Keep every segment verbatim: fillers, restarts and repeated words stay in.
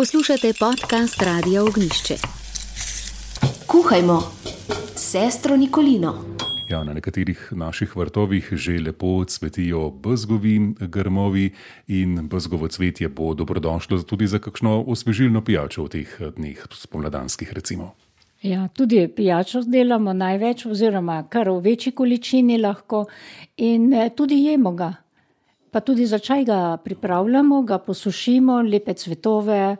Poslušate podcast Radia Ognjišče. Kuhajmo s sestro Nikolino. Ja, na nekaterih naših vrtovih že lepo cvetijo bezgovi grmovi in bezgovo cvetje bo dobrodošlo tudi za kakšno osvežilno pijačo v teh dneh spomladanskih recimo. Ja, tudi pijačo delamo največ oziroma kar v večji količini lahko in tudi jemo ga. Pa tudi za čaj ga pripravljamo, ga posušimo, lepe cvetove,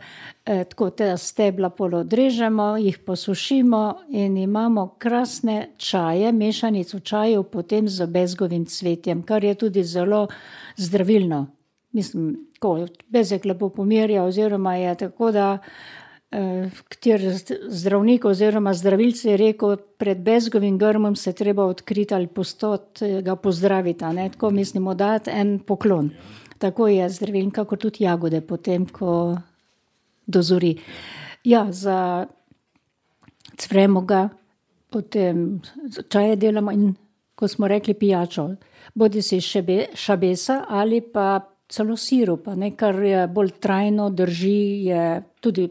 eh, tako te stebla pol odrežemo, jih posušimo in imamo krasne čaje, mešanico čajev potem z bezgovim cvetjem, kar je tudi zelo zdravilno. Mislim, ko bezeg lepo pomirja oziroma je tako, da eh, kjer zdravnik oziroma zdravilci je rekel, pred bezgovim grmom se treba odkriti ali postot, ga pozdraviti, ne? Tako mislimo dati en poklon. Tako je zdraviln, kako tudi jagode potem, ko dozori. Ja, za cvremo ga, potem čaje delamo in, ko smo rekli, pijačo. Bodi si šebe, šabesa ali pa celo sirupa, ne? Kar je bolj trajno, drži, je tudi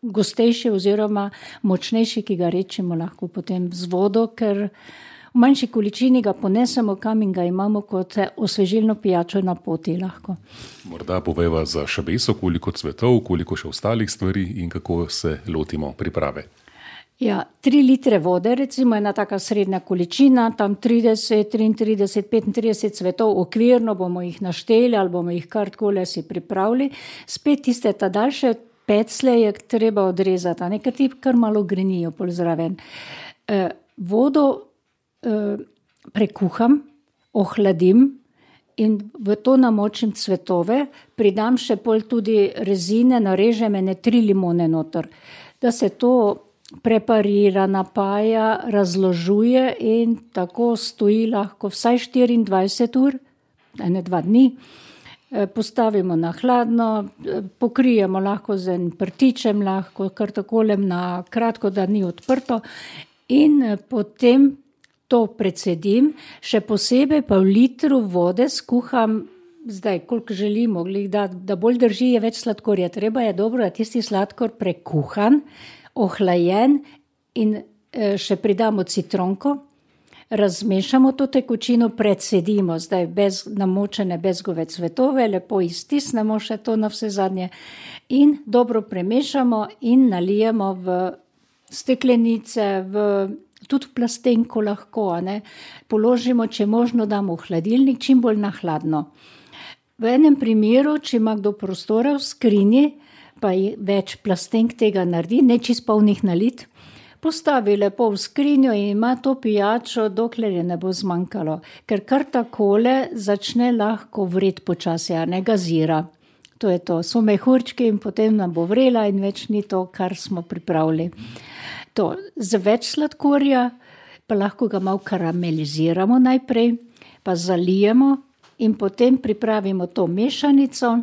gostejši oziroma močnejši, ki ga rečemo lahko potem z vodo, ker v manjši količini ga ponesemo kam in ga imamo kot osvežilno pijačo na poti lahko. Morda poveva za šabeso, koliko cvetov, koliko še ostalih stvari in kako se lotimo priprave. Ja, tri litre vode, recimo ena taka srednja količina, tam trideset, triintrideset, petintrideset cvetov, okvirno bomo jih našteli ali bomo jih kar takole si pripravili. Spet tiste ta daljše peclje je treba odrezati, nekaj ti kar malo grenijo pol zraven. E, vodo e, prekuham, ohladim in v to namočim cvetove, pridam še pol tudi rezine, narežem ene tri limone noter, da se to preparira, napaja, razložuje in tako stoji lahko vsaj štiriindvajset ur, ene dva dni. Postavimo na hladno, pokrijemo lahko z enim prtičem, lahko kar takolem na kratko, da ni odprto in potem to precedim, še posebej pa v litru vode skuham, zdaj koliko želimo, da, da bolj drži, je več sladkorja, treba je dobro, da tisti sladkor prekuhan, ohlajen in še pridamo citronko, razmešamo to tekočino, predsedimo zdaj bez namočene bezgove cvetove, lepo iztisnemo še to na vse zadnje in dobro premešamo in nalijemo v steklenice, v, tudi v plastenko lahko, ne? Položimo, če možno damo v hladilnik, čim bolj na hladno. V enem primeru, če ima kdo prostora v skrinji, pa več plastenk tega naredi, ne čist polnih nalit, postavi lepo v skrinjo in ima to pijačo, dokler je ne bo zmanjkalo. Ker kar takole začne lahko vreti počasi, a ne gazira. To je to, so mehurčki in potem nam bo vrela in več ni to, kar smo pripravili. To, z več sladkorja pa lahko ga malo karameliziramo najprej, pa zalijemo in potem pripravimo to mešanico.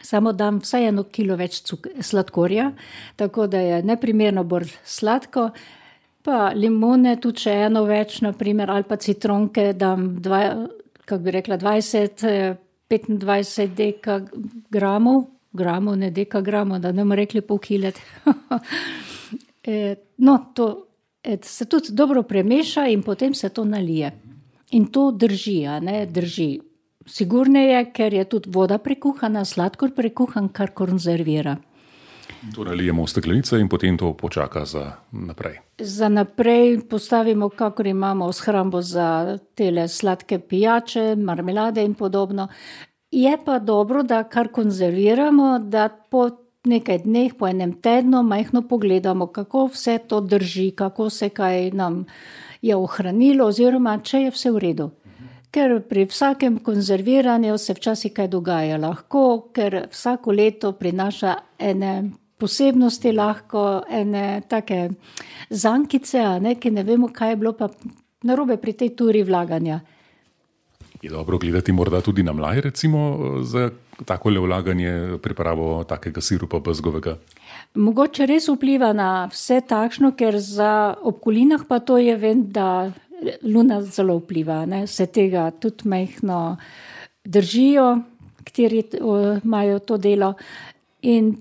Samo dam vsaj eno kilo več sladkorja, tako da je neprimerno bolj sladko, pa limone tudi še eno več, naprimer, ali pa citronke dam, dva, kako bi rekla, dvajset, petindvajset dekagramov, gramov, ne dekagramov, da ne bomo rekli pol kilet. No, to se tudi dobro premeša in potem se to nalije. In to drži, a ne, drži. Sigurneje, ker je tudi voda prekuhana, sladkor prekuhan, kar konzervira. To nalijemo v steklenice in potem to počaka za naprej. Za naprej postavimo, kakor imamo shrambo za tele sladke pijače, marmelade in podobno. Je pa dobro, da kar konzerviramo, da po nekaj dneh, po enem tednu majhno pogledamo, kako vse to drži, kako se kaj nam je ohranilo oziroma če je vse v redu. Ker pri vsakem konzerviranju se včasih kaj dogaja lahko, ker vsako leto prinaša ene posebnosti lahko, ene take zankice, a ne, ki ne vemo, kaj je bilo pa narobe pri tej turi vlaganja. Je dobro gledati morda tudi na mlaj, recimo, za takole vlaganje, pripravo takega sirupa bezgovega? Mogoče res vpliva na vse takšno, ker za obkolinah pa to je, vem, da luna zelo vpliva, ne? Se tega tudi majhno držijo, kateri imajo to delo in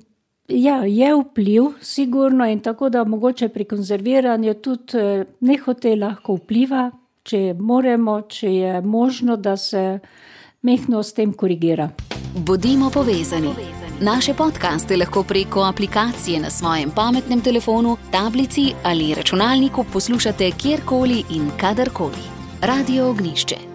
Ja, je vpliv, sigurno, in tako da mogoče pri konzerviranju tudi nehote lahko vpliva, če moremo, če je možno, da se mehno s tem korigira. Bodimo povezani. Naše podcaste lahko preko aplikacije na svojem pametnem telefonu, tablici ali računalniku poslušate kjerkoli in kadarkoli. Radio Ognjišče.